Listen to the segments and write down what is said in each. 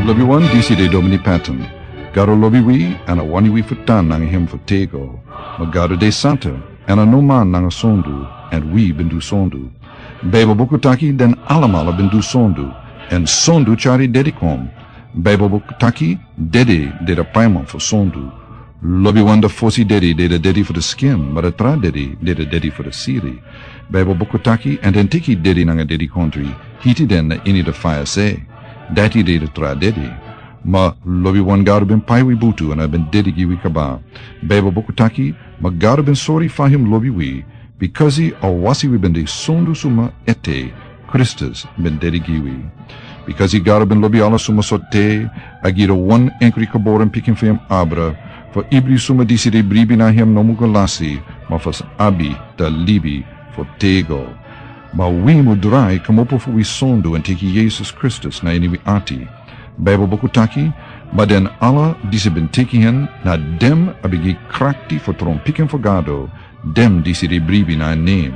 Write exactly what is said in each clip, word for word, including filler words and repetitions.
Lobi wan, disi de Domini Patton. Gado lobi wi, èn a wani wi fu tan nanga hem fu tego. Ma Gado de santa, èn a no man nanga sondu, èn wi ben du sondu. Baibel buku taki den alamala ben du sondu, èn sondu tyari dedi kon. Baibel buku taki dedi de da paiman fu sondu. Lobi wan, da fosi dedi de da dedi fu da skin, ma da tra dedi de da dedi fu da siri. Baibel buku taki, èn den teki dedi nanga dedikontri, hiti den na ini da faya se. Dati de da tra dedi. Ma lobi wan, Gado ben pai wi butu èn a ben dedi gi wi kaba. Baibel buku taki, ma Gado ben sori fa hem lobi wi, bikasi a wasi wi ben de sondu suma ete, Kristus ben dedi gi wi. Bikasi Gado ben lobi ala suma so te, a gi da wan enkri geboren pikin fu hem abra, fu ibri suma disi de bribi na hem no mu go lasi, ma fu sa abi da libi fu tego. Ma wi mu drai kmopo fu wi sondu èn teki Yesus Kristus na ini wi ati. Baibel buku taki, ma den ala disi ben teki hen, na dem a ben gi krakti fu tron pikin fu Gado, dem disi de bribi na en nen.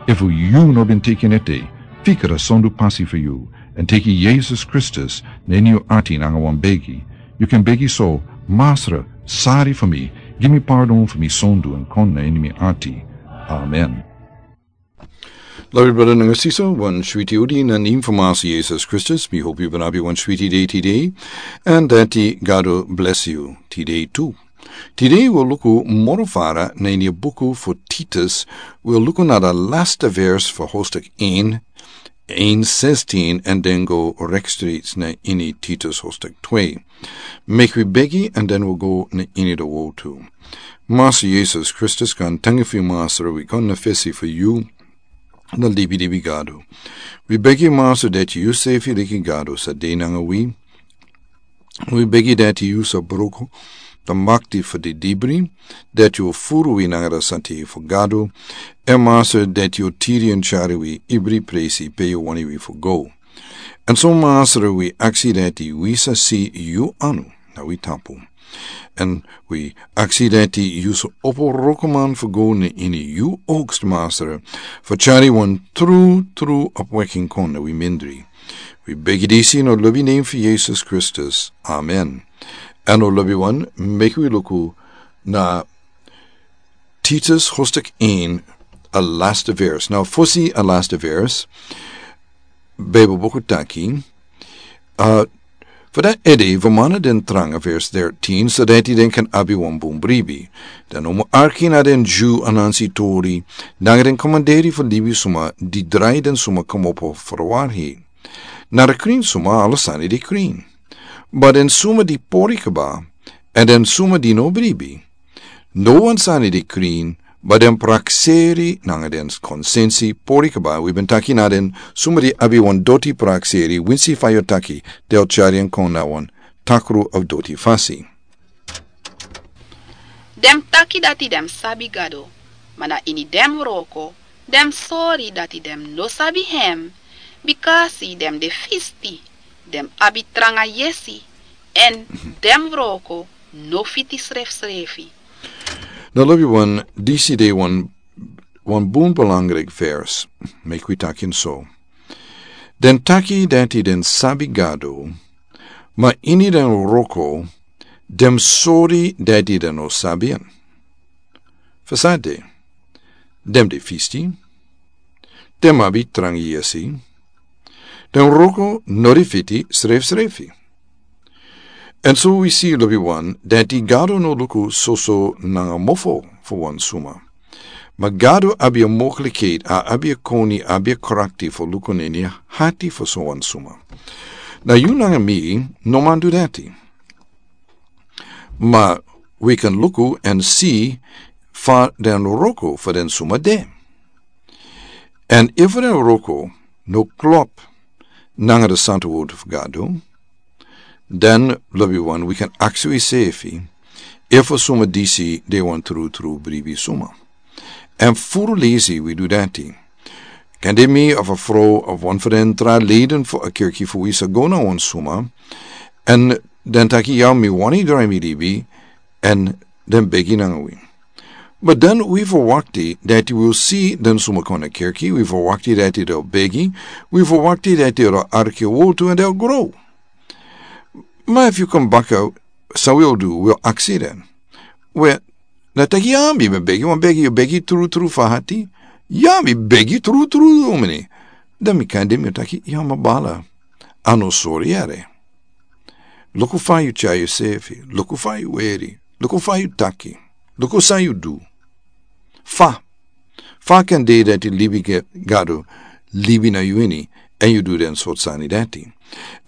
Efu yu no ben teki en ete, fika da sondu pasi fu yu, èn teki Yesus Kristus na ini yu ati nanga wan begi. Yu kan begi so: Masra, sari fu mi, gi mi pardon fu mi sondu èn kon na ini mi ati. Amen. Lobi brada nanga sisa, wan switi odi na nen fu Masra Yesus Kristus. Mi hopi yu ben abi wan switi dei tide, èn dati Gado bless yu tide tu. Tide wi o luku moro fara na ini a buku fu Titus, wi o luku na da lasta vers fu hostik en, en sestin, èn den go rekstrits na ini Titus hostik twe. Meki wi begi, èn den wi go na ini da wotu. Masra Yesus Kristus, kan tangi fu yu Masra, wi kon na fesi fu yu, na libi libi Gado. Wi begi Masra dati yu sefi leki Gado sa de nanga wi. Wi begi dati yu sa bruku da makti fu di dibri, dati yu furu wi nanga da santi fu Gado, èn Masra dati yu tiri èn tyari wi ibri presi pe yu wani wi fu go. Èn so Masra wi aksi dati wi sa si yu anu na wi tapu. Èn wi aksi dati yu sa opo wrokoman fu go na ini yu ogst Masra, fu tyari wan tru tru opweki kon na wi mindri. Wi begi disi na lobi nen fu Yesus Kristus. Amen. Èn o lobi wan, meki wi luku na Titus hostik en, a lasta vers. Na fosi a lasta vers, Baibel buku taki, a, fu dati ede, wi mana den tranga vers dertien, so dati den kan abi wan bun bribi. Den no mu arki na den Dyu anansi tori, nanga den komanderi fu libi suma di drai den suma kmopo fu a warhei. Na da krin suma ala sani de krin. Ma den suma di pori kba, èn den suma di no bribi, no wan sani de krin, ma den prakseri nanga den konsensi pori kba. Wi ben taki na den suma di abi wan doti prakseri, winsi fa yu taki, den o tyari en kon na wan takru of doti fasi. Den taki dati den sabi Gado, ma na ini den wroko den sori dati den no sabi hem, bikasi den de fisti, den abi tranga yesi, èn den wroko no fiti srefsrefi. Na lobi wan, disi de wan, wan bun belangrijk vers, meki wi taki en so. Den taki dati den sabi Gado, ma ini den wroko den sori dati den no sabi en. Fu san de, den de fisti, den abi tranga yesi, den wroko no de fiti srefsrefi. Èn so wi si, lobi wan, dati Gado no luku soso nanga mofo fu wan suma. Ma Gado abi a mogelijkheid, a abi a koni, abi a krakti fu luku na ini a hati fu so wan suma. Na yu nanga mi no man du dati. Ma wi kan luku èn si fa den wroko fu den suma de. Èn efu den wroko no klop nanga da santa wortu fu Gado, dan lobi wan, wi kan aksi wisefi efu a suma disi de wan tru tru bribi suma. Èn furu leisi wi du dati. Kande mi of a frow of wan fu den tra leden fu a kerki fu wi sa go na wan suma, èn den taki: "Ya, mi wani drai mi libi," èn den begi nanga wi. Ma dan wi verwakti dati wi o si den suma kon na kerki, wi verwakti dati den o begi, wi verwakti dati den o arki a wortu èn den o grow. Ma efu yu kon baka, san wi o du, wi o aksi den. We, na taki ya mi ben begi wan begi, yu begi trutru fu a hati. Ya mi begi trutru, domini. Dan mi kan de mi o taki ya mi bala. A no sori yere. Luku fa yu tyari yusefi, luku fa yu weri, luku fa yu taki, luku san yu du. Fa fa kan de dati libi Gado libi na yu ini, èn yu du den sortu sani dati?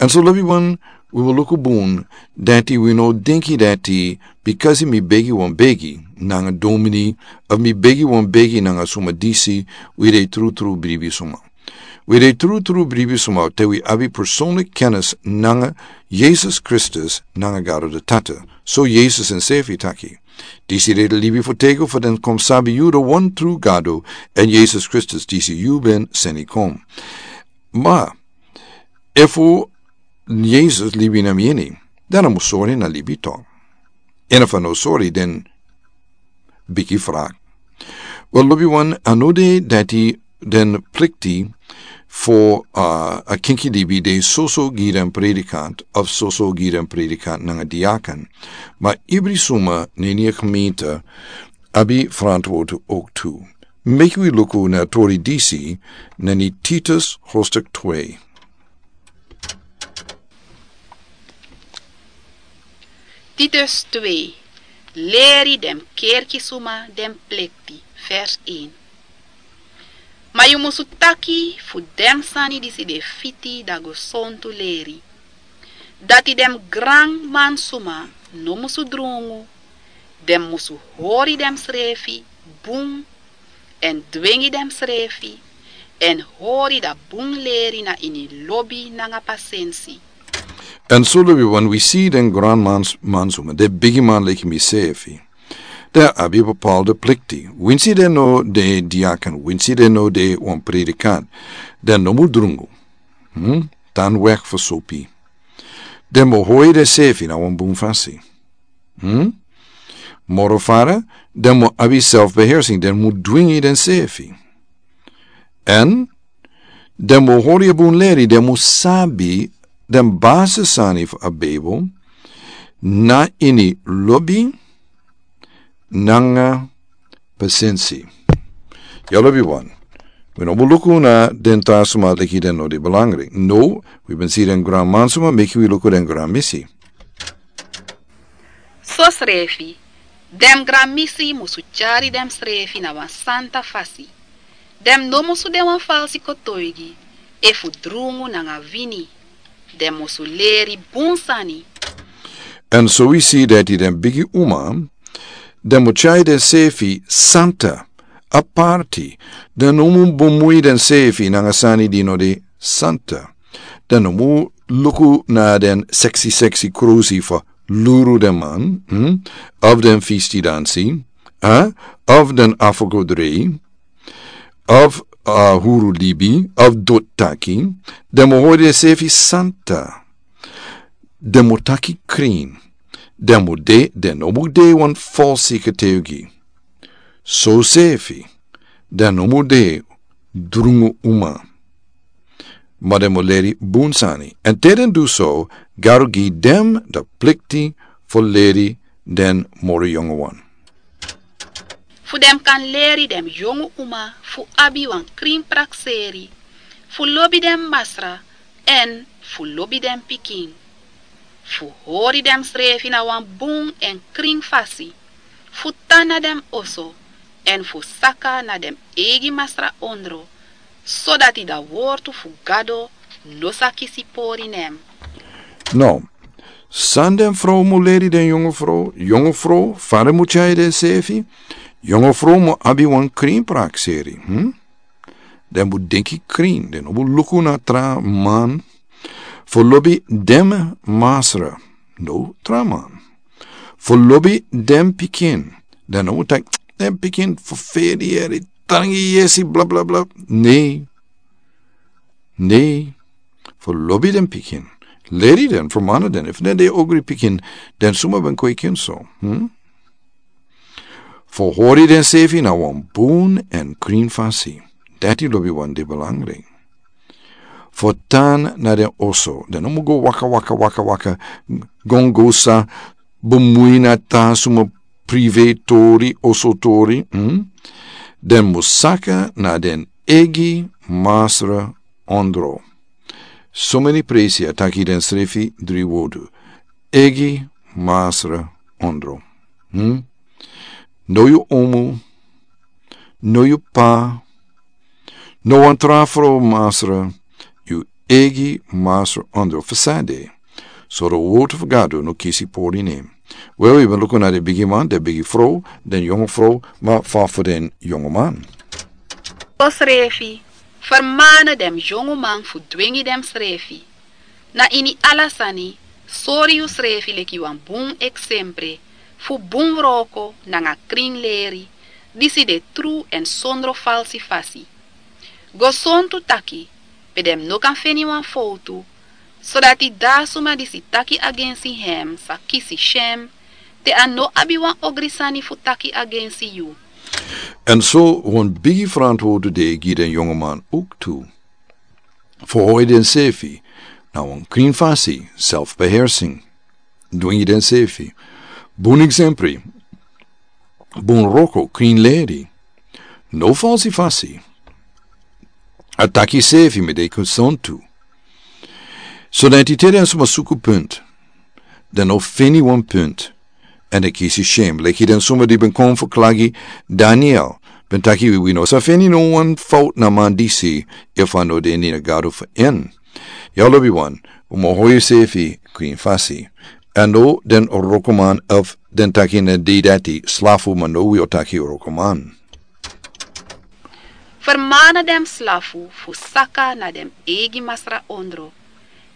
Èn so lobiwan, wi wi luku bun dati wi no denki dati, bikasi mi begi wan begi nanga domini, of mi begi wan begi nanga suma disi, wi de trutru bribi suma. Wi de trutru bribi suma te wi abi personlik kennis nanga Yesus Kristus nanga Gado de Tata. So Yesus ensefi taki, disi de libi fu teki fu den kon sabi yu de wan tru Gado, èn Yesus Kristus disi yu ben seni kon. Ma efu Yesus libi na mi ini, dan a mus sori na libi tok. Èn efu a no sori, den biki frak. Wel, lobiwan, a no de dati den plikti fu a kinki libi de soso gi den predikant of soso gi den predikant nanga diaken. Ma ibri suma na ini a gemeente abi frantwortu ook tu. Meki wi luku na tori disi na ini Titus hoofdstuk twee. Titus twee. Leri den kerki suma den plikti. Vers een. Ma yu musu taki fu den sani disi de fiti dan gesontu leri. Dati den granman suma no musu drungu, den musu hori den srefi bun, èn dwengi den srefi, èn hori dan bun leri na ini lobi nanga pasensi. Èn so lobiwan, wi si den granman suma, den bigiman leki misefi, den abi bepaalde plikti. Winsi den no de diaken, winsi den no de wan predikant, den no mus drungu. Tan wek fu sopi. Den mus hori densefi na wan bun fasi. Moro fara, den mus abi selfbeheersing, den mus dwingi densefi. Èn den mus hori a bun leri, den mus sabi den basisani fu a Bijbel na ini lobi nanga pasensi. Ya lobiwan, wi no mus luku na den tra suma leki den no de belangrijk. No, wi ben si den granman suma, meki wi luku den granmisi. Sosrefi, den granmisi musu tyari densrefi na wan santa fasi. Den no musu de wan falsi kotoigi efu drungu nanga wini. Den musu leri bun sani. Èn so wi si dati den bigi uma, den mus tyari densefi santa, aparti. Den no mus bemui densefi nanga sani di no de santa. Den no mus luku na den seksi seksi krusi fu luru den man, of den fisti dansi, of den afrogodrei, of huru libi, of doti taki. Den mus hori densefi santa. Den mus taki krin. Den mus de, den no mus de wan falsi kotoigi. Sosefi, den no mus de drungu uma. Ma den mus leri bun sani. Èn te den du so, Gado gi den de plikti fu leri den moro yongowan. Fu den kan leri den yongu uma fu abi wan krin prakseri, fu lobi den masra, èn fu lobi den pikin. Fu hori densrefi na wan bun èn krin fasi. Fu tan na den oso, èn fu saka na den eigi masra ondro, sodati dan wortu fu Gado no sa kisi pori nen. No, san den frow mus leri den yongu frow, yongu frow, fa den mus tyari densefi, yongu frow mus abi wan krin prakseri. Den mus denki krin, den no mus luku na tra man. Fu lobi den masra, no tra man. Fu lobi den pikin, den no mus taki den pikin fu feri yere, tangi yesi, blablabla. Nei. Nei. Fu lobi den pikin. Leri den, fermana den, efu den de ogri pikin, den suma ben kweki en so. Fu hori densefi na wan bun èn krin fasi. Dati lobiwan de belangrijk. Fu tan na den oso, den no mus go waka waka waka waka, gongosa, bemui na tan suma prive tori, oso tori. Den mus saka na den egi masra ondro. Someni presi a taki den srefi dri wodu. Egi masra ondro. No yu omu, no yu pa, no wan tra frow masra, yu egi masra ondro. Fasade, soro wotu fu gado no kisi pori nen. Wel, yu ben luku na den bigi man, den bigi frow, den yongo frow, ma fa fu den yongo man? Sosrefi, fermane den yongo man fu dwengi den srefi. Na ini ala sani, sori yu srefi leki wan bun eksempre fu bun wroko nanga krin leri, disi de tru èn sondro falsi fasi. Go sontu taki, pe den no kan feni wan fowtu, sodati da suma disi taki agensi hem sa kisi shem, te a no abi wan ogri sani fu taki agensi yu. Èn so wan bigi frantwortu de gi den yongo man owktu. Fu hoi densefi na wan krin fasi, selfbeheersing. Dwingi densefi. Bun eksempri. Bun wroko, krin leri. No falsi fasi. A taki sefi mi de konsontu. So dan iti te den suma suku punt, den no feni wan punt. Èn den kisi shem leki den suma di ben kon fu klagi Daniel, ben taki wi no sa feni no wan fowtu na man disi, efu a no de ini a gado fu en. Ya lobi wan, un mus hoi yusefi krin fasi. Èn no den wrokoman efu den taki na dei dati slafu, ma no wi o taki wrokoman. Fermane den slafu fu saka na den eigi masra ondro,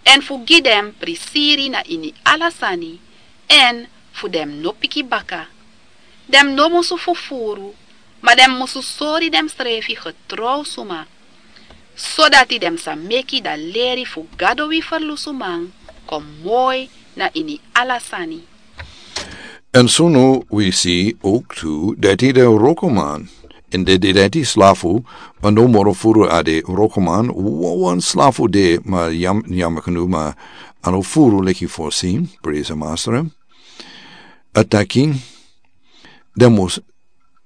èn fu gi den prisiri na ini ala sani, èn fu den no piki baka. Den no musu fufuru, ma den musu sori densrefi getrow suma, sodati den sa meki dan leri fu Gado wi ferlusuman kon moi na ini ala sani. Èn so no wi si owktu dati den wrokoman, èn de dati slafu, ma no moro furu a de wrokoman, wawan slafu de, ma yam yam knu ma a no furu leki fosi, presi masra. A taki, den mus,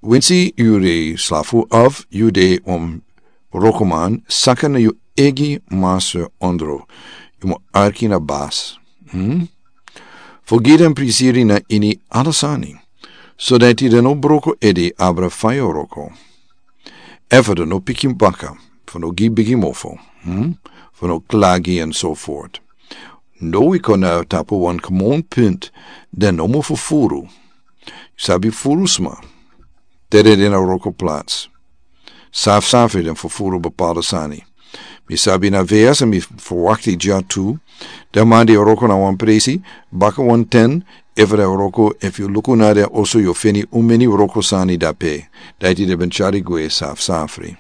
winsi yu de slafu of yu de wan wrokoman, saka na yu eigi masra ondro. Yu mus arki na bas. Fu gi den prisiri na ini ala sani, sodati den no broko ede abra fa yu wroko. Efu den no piki baka, fu no gi bigi mofo, fu no klagi èn so fort. No wi kon na tapu wan komon punt, den no mus fufuru. Yu sabi furu sma, te den de na wroko plats. Safsafri den fufuru bepaalde sani. Mi sabi na veas èn mi ferwakti dya tu. Den man di wroko na wan presi, baka wan ten, efu den wroko, efu yu luku na den oso yu o feni un meni wroko sani dape. Dati den ben tyari gwe safsafri.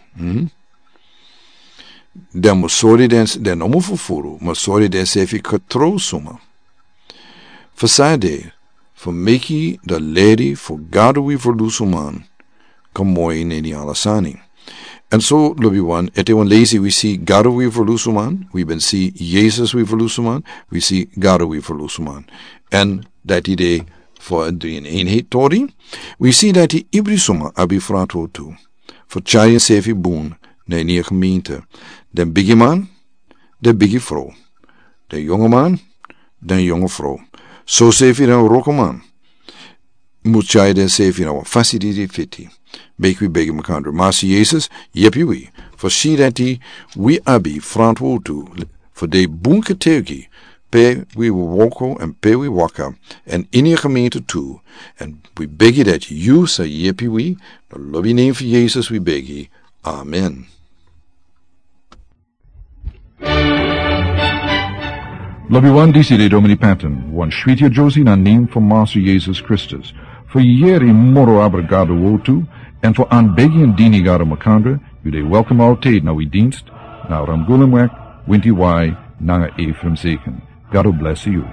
Den mus sori den, den no mus fufuru, ma sori densefi getrow suma. Fu san de, fu meki dan leri fu Gado wi ferlusuman kon moi na ini ala sani. Èn so lobi wan, ete wan lesi wi si Gado wi ferlusuman, wi ben si Yesus wi ferlusuman, wi si Gado wi ferlusuman. Èn dati de fu a dri en enheit tori, wi si dati ibri suma abi frantwortu fu tyari ensefi bun na ini a gemeente. Den bigiman, den bigi frow. Den yongoman, den yongo frow. Sosefi den wrokoman mus tyari densefi na wan fasi di de fiti. Meki wi begi makandra, Masi Yesus, yepi wi fu si dati wi abi frantwortu fu de bun getuigi pe wi wroko èn pe wi waka, èn ini a gemeente tu, èn wi begi dati yu sa yepi wi. Na lobi nen fu Yesus wi begi. Amen. Lobi wan, disi de Domini Patton, wan switi a Josie na nen fu Masi Yesus Kristus. Fu yeri moro abra Gado wortu, èn fu anbegi èn dini Gado makandra, yu de welkom altijd na wi dienst, na Ramgulemweg, winti wai, nanga Ephraim Zeken. Gado blesi yu.